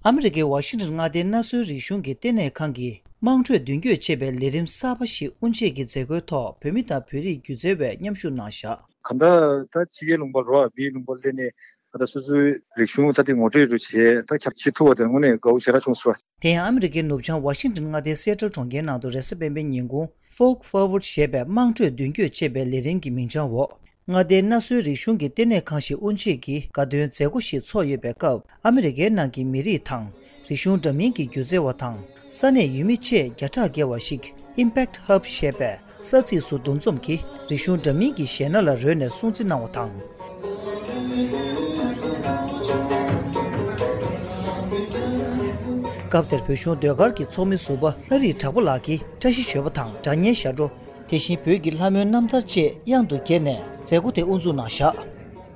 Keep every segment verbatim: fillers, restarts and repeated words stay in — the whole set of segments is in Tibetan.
ཨ་མི་རི་ཀའི་ཝ་ཤིང་ཊོན་མངའ་སྡེའི་གནའ་སྲོལ་རིག་གཞུང་གི་ལྟེ་གནས་ཁང་གིས་དམངས་ཁྲོད་མདུན་སྐྱོད་ཅེས་པའི་ལས་རིམ་གསར་པ་ཞིག་དབུ་འབྱེད་ཀྱི་མཛད་སྒོའི་ཐོག་བོད་མི་དང་བོད་རིགས་སྒྱུ་རྩལ་བས་མཉམ་ཞུགས་གནང་བཞག་གང་ལྟར་ད་ཕྱི་རྒྱལ་ལུང་པ་རོ་བ་མིའི་ལུང་པ་སླེབས་ནས་ད་ལྟ་སོ་སོའི་རིག་གཞུང་ད་ལྟ་ངོ་སྤྲོད་རུ་བྱས་ད་ཁྱབ་བྱེད་ཐུབ་པ་དེ་དངོས་གནས་དགའ་བོ་ཞེ་དྲག་བྱུང་སོང་། དེ་ཡང་ཨ་མི་རི་ཀའི་ནུབ་བྱང་ཝ་ཤིང་ཊོན་མངའ་སྡེའི་སེ་ཊལ་གྲོང་ཁྱེར་ནང་དུ་རེས་གཟའ་སྤེན་པའི་ཉིན་གུང་Folk Forward ཞེས་པའི་དམངས་ཁྲོད་མདུན་སྐྱོད་ཅེས་པའི་ལས་རིམ་གྱི་མིང་བྱང་འོག་མངའ་སྡེའི་གནའ་སྲོལ་རིག་གཞུང་གི་ལྟེ་གནས་ཁང་ཞིག་དབུ་འབྱེད་ཀྱིས་དགའ་སྟོན་མཛད་སྒོ་ཞིག་ཚོགས་ཡོད་པའི་སྐབས། ཨ་མི་རི་ཀའི་ནང་གི་མི་རིགས་དང་། རིག་གཞུང་འདྲ་མིན་གྱི་སྒྱུ་རྩལ་བ་དང་། ས་གནས་ཡུལ་མི་བཅས་བརྒྱ་ཕྲག་བརྒལ་བ་ཞིག་Impact Hub ཞེས་པའི་ས་ཚིགས་སུ་འདུ་འཛོམས་ཀྱིས་རིག་གཞུང་འདྲ་མིན་གྱི་གཞས་སྣ་ལ་རོལ་ནས་སྲུང་བརྩི་གནང་བ་དང་། སྐབས་དེར་བོད་གཞུང་ཟློས་གར་གྱི་ཚོགས་མི་ཟུར་པ་ལྷ་རིས་གྲགས་པ་ལགས་ཀྱིས་བཀྲ་ཤིས་བརྗོད་པ་དང་སྒྲ་སྙན་ཞབས་བྲོ། དེ་བཞིན་བོད་ཀྱི་ལྷ་མོའི་རྣམ་ཐར་བཅས་དབྱངས་སུ་གྱེར་ནས་མཛད་སྒོ་དེ་དབུ་འཛུགས་གནང་བཞག་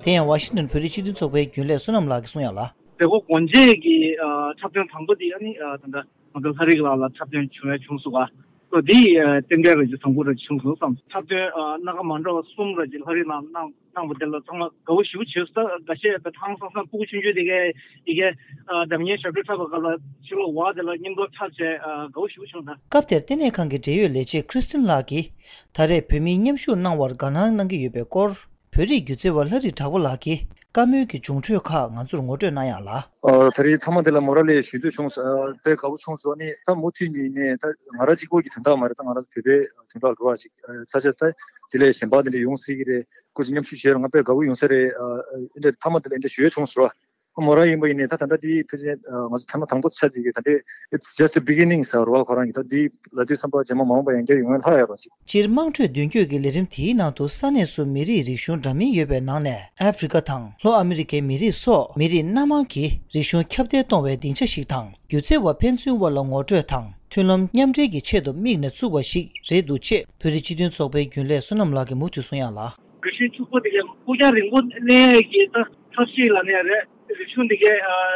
དེ་ཡང་ཝ་ཤིང་ཊོན་བོད་རིགས་སྤྱི་མཐུན་ཚོགས་པའི་རྒྱུན་ལས་བསོད་ནམས་ལགས་ཀྱིས་གསུངས་ཡག་ལ། མཛད་སྒོ་སྒོ་འབྱེད་ཀྱི་ཨ་འཁྲབ་སྟོན་དང་པོ་དེ་ཨ་ནི་ཨ་ད་ལྟ་ང་ཚོ་ལྷ་རིས་ལགས་ལ་འཁྲབ་སྟོན་བྱུང་ཡ་བྱུང་སོང་བ། སོ་དེ་ཨ་རྟེན་འབྲེལ་ར་ཅིག་བཟང་པོ་ར་ཅིག་བྱུང་སོང་བསམ། འཁྲབ་སྟོན་ཨ་སྣ་ཁ་མ་འདྲ་བ་གསུམ་ར་ཅིག་ལྷ་རིས་ལགས་གནང་གནང་བ་དེ་ལ་ཚང་མ་དགའ་བོ་ཞེ་པོ་བྱས་སོང་། ད་འགའ་ཤས་ད་ཧང་སང་སང་སྤུ་གུ་ཆུང་ཆུང་དེ་གས་དེ་གས་ཨ་སྒྲ་སྙན་ཞབས་བྲོ་འཁྲབ་པའི་སྐབས་ལ་ཕྱི་ལོགས་བ་དེ་ལ་མཉམ་དུ་འཁྲབ་བྱས་ཨ་དགའ་བོ་ཞེ་པོ་བྱུང་ད། སྐབས་དེར་ལྟེ་གནས་ཁང་གི་འབྲེལ་ཡོད་ལས་བྱེད་Kristen ལགས་ཀྱིས་ད་རེས་བོད་མིས་མཉམ་ཞུགས་གནང་བར་དགའ་སྣང་གནང་གི་ཡོད་པའི་སྐོར། བོད་རིགས་སྒྱུ་རྩལ་བ་ལྷ་རིས་གྲགས་པ་ལགས་ཀྱིས་བཀའ་མོལ་གྱི་འབྱུང་འཕྲོས་ཁག་ང་ཚོར་ངོ་སྤྲོད་གནང་ཡག་ལ། ཨ་ད་རེས་མཐའ་མ་འདི་ལ་མོ་ར་ལས་ཞུ་འདོད་བྱུང་། ཨ་དཔེ་དགའ་བོ་བྱུང་སོང་། ནི་ད་མུ་མཐུད་ནས་ནས་ད་ང་རང་གཅིག་པོ་གི་དོན་དག་མ་རེད། ད་ང་རང་བོད་པའི་དོན་དག་ལ་འགྲོ་བ་ཞིག་ས་ཆ་ད་དེ་ལས་གཞན་པ་དེ་འདྲ་ཡོང་སྲིད་ཀྱི་རེད། སྐུ་མཁྱེན་མཉམ་ཞུགས་བྱས་ར་ང་དཔེ་དགའ་བོ་ཡོང་ས་རེད། ཨ་ཨ་འདྲ་མཐའ་མ་འདི་ལ་འདྲ་ཞུ་ཡས་བྱུང་སོང་། མོ་རང་ཡིན་པ་ཡིན་ནའི་ད་ད་ལྟ་དེའི་ཕལ་ཆེར་ང་ཚོ་ཐེངས་མ་དང་པོ་ཆགས་ཀྱི་ཡོད། ད་ལྟའི་It's just the beginning ཟེར་བ་ཁོ་རང་གི་ད་དེའི་ལ་དུས་བསམ་པ་རྗེས་མ་མ་འོངས་པ་ཡང་བསྐྱར་ཡོང་ཡ་ལྷག་ཡོད་རེད་ཅིག་སྤྱིར་དམངས་ཁྲོད་མདུན་སྐྱོད་ཀྱི་ལས་རིམ་དེའི་ནང་དུ་ས་གནས་སུ་མི་རིགས་རིག་གཞུང་འདྲ་མིན་ཡོད་པའི་ནང་ནས་ཨ་ཧྥེ་རི་ཀ་དང་ལྷོ་ཨ་མི་རི་ཀའི་མི་རིགས་སོགས་མི་རིགས་སྣ་མང་གི་རིག་གཞུང་ཁྱབ་གདལ་གཏོང་བའི་སྡིངས་ཆ་ཞིག་དང་སྒྱུ་རྩལ་བ་ཕན་ཚུན་དབར་ལ་ངོ་སྤྲོད་དང་མཐུན་ལམ་མཉམ་འབྲེལ་གྱི་ཆེད་དུ་དམིགས་ནས་བཙུགས་པ་ཞིག་རེད་འདུག་ཅེས་བོད་རིགས་སྤྱི་མཐུན་ཚོགས་པའི་རྒྱུན་ལས་བསོད་ནམས་ལགས་ཀྱིས་མུ་མཐུད་གསུངས་ཡག་ལ། རིག་གཞུང་ཕྱུག་པོ་དེ་གའི་ཕུགས་རྒྱང་རིང་པོ་གནས་ཡས་ཀྱི་ད་ཐབས་ཤེས་ལ་གནས་རེད། རིག་གཞུང་དེ་གའི་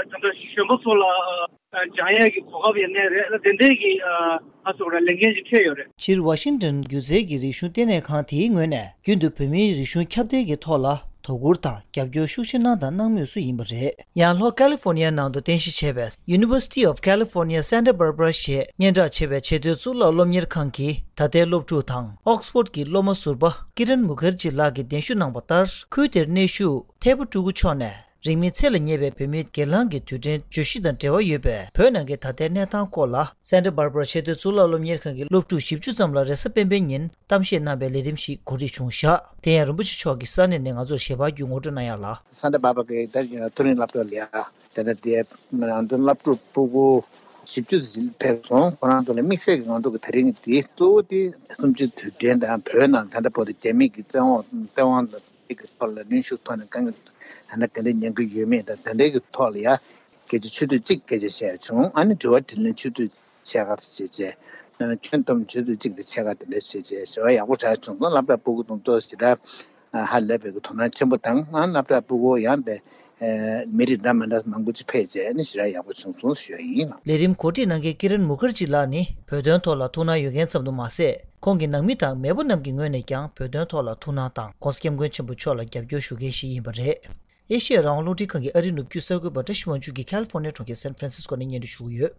ད་ལྟ་གཞོན་པ་ཚོ་ལ་སྦྱང་ཡས་ཀྱི་གོ་སྐབས་ཡང་གནས་རེད། ད་དེ་འདྲའི་གི་ང་ཚོ་ར་ལས་འགན་ཅིག་འཁྱེར་ཡོད་རེད། སྤྱིར་ཝ་ཤིང་ཊོན་སྒྱུ་རྩལ་གྱི་རིག་གཞུང་ལྟེ་གནས་ཁང་དེའི་ངོས་ནས་རྒྱུན་དུ་བོད་མིའི་རིག་གཞུང་ཁྱབ་གདལ་གྱི་ཐོག་ལ་དོ་ཁུར་དང་རྒྱབ་སྐྱོར་ཤུགས་ཆེ་གནང་དང་གནང་མུས་སུ་ཡིན་པ་རེད། ཡང་ལྷོ་ཀ་ལི་ཧྥོར་ནི་ཡ་ནང་དུ་རྟེན་གཞི་བྱས་པའི་University of California Santa Barbara ཞེས་སྙན་གྲགས་ཆེ་བའི་ཆེས་མཐོའི་གཙུག་ལག་སློབ་གཉེར་ཁང་གི་ད་ལྟའི་སློབ་ཕྲུག་དང་ཨོག་སི་ཕོར་གྱི་སློབ་མ་ཟུར་པ་ཀི་རན་མུ་ཁར་ཇི་ལགས་ཀྱིས་གདན་ཞུ་གནང་བ་ལྟར། ཁུལ་དེར་གནས་བཞུགས་ཐེ་བོ་ཀྲུ་གུ་མཆོག་ནས་རིང་མིན་ཚེ་ལ་ཉེ་བའི་བོད་མིའི་སྒེར་ལངས་ཀྱི་དུས་དྲན་བརྗོད་གཞི་དང་འབྲེལ་བ་ཡོད་པའི་བོད་ནང་གི་ད་ལྟའི་གནས་སྟངས་སྐོར་ལ། སན་ཏཱ་བྷར་བྷ་ར་ཆེས་མཐོའི་གཙུག་ལག་སློབ་གཉེར་ཁང་གི་སློབ་ཕྲུག་བཞི་བཅུ་ཙམ་ལ་རེས་གཟའ་སྤེན་པའི་ཉིན་གཏམ་བཤད་གནང་བའི་ལས་རིམ་ཞིག་གོ་སྒྲིག་བྱུང་བཞག་དེ་ཡང་རིན་པོ་ཆེ་མཆོག་གིས་ས་གནས་ནས་ང་ཚོར་ཞལ་པར་བརྒྱུད་ངོ་སྤྲོད་གནང་ཡག་ལ། སན་ཏཱ་བྷར་བྷ་ར་གི་ད་མཐོ་རིམ་སློབ་གྲྭ་ལ་ཡ། དེ་ནས་དེ་ང་ཚོ་སློབ་ཕྲུག་སྤུ་གུ་བཞི་བཅུ་ཙམ་ཕེབས་སོང་། ཁོ་རང་ཚོ་ལ་དམིགས་བསལ་གྱི་ང་ཚོ་གི་དེ་རིང་གི་དེ་གཙོ་བོ་དེ་གསུམ་བཅུའི་དུས་དྲན་དང་བོད་ནང་ད་ལྟ་བར་དུ་རྒྱ་མི་གི་བཙན་འོག་བཙན་དབང་དང་དེ་གི་ཐོག་ལ་གནོན་ཤུགས་ཐོག་ནས་དཀའ་ངལ་ད་ལྟ་ག་འདྲ་མྱངས་ཀྱི་ཡོད་མེད་དང་དེ་འདྲའི་གི་ཐོག་ལ་ཡ་སྐད་ཆ་ཆུ་ཚོད་གཅིག་སྐད་ཆ་བཤད་བྱུང་། ཨ་ནི་དྲི་བ་དྲིས་ལན་ཆུ་ཚོད་ཕྱེད་ཀ་བྱས་རྗེས་ཁྱོན་བསྡོམས་ཆུ་ཚོད་གཅིག་དང་ཕྱེད་ཀ་དེ་འདྲ་བྱས་རྗེས་ཞེ་བ་ཡག་པོ་རག་བྱུང་སོང་། སློབ་གྲྭ་སྤུ་གུ་དང་ཏོག་ཙམ་ཞེ་དྲག་ཧ་ལས་པའི་གི་དོ་སྣང་ཆེན་པོ་དང་། ཨ་སློབ་གྲྭ་སྤུ་གུ་ཡང་པའི་མི་རིགས་འདྲ་མི་འདྲ་མང་པོ་ཅིག་ཕེབས་བྱས་ནས་ཞེ་དྲག་ཡག་པོ་བྱུང་སོང་ཞུ་ཡ་ཡིན། ལས་རིམ་གོ་སྒྲིག་གནང་མཁན་ཀི་རན་མུ་ཁར་ཇི་ལགས་ནི་བོད་དོན་ཐོག་ལ་ཐུགས་སྣང་ཡོད་མཁན་ཙམ་དུ་མ་ཟད། ཁོང་གི་ནང་མི་དང་མེས་པོ་རྣམས་ཀྱི་ངོས་ནས་ཀྱང་བོད་དོན་ཐོག་ལ་ཐུགས་སྣང་དང་༸གོང་ས་༸སྐྱབས་མགོན་ཆེན་པོ་མཆོག་ལ་རྒྱབ་སྐྱོར་ཞུ་མཁན་ཞིག་ཡིན་པ་རེད། ཨེ་ཤེ་ཡ་རང་དབང་རླུང་འཕྲིན་ཁང་གི་ཨ་རིའི་ནུབ་རྒྱུད་གསར་འགོད་པ་བཀྲ་ཤིས་དབང་ཕྱུག་གིས་ཁ་ལི་ཧྥོར་ནི་ཡ་གྲོང་ཁྱེར་སན་ཧྥ་རན་སིས་ཀོ་ནས་སྙན་སྒྲོན་ཞུ་གི་ཡོད།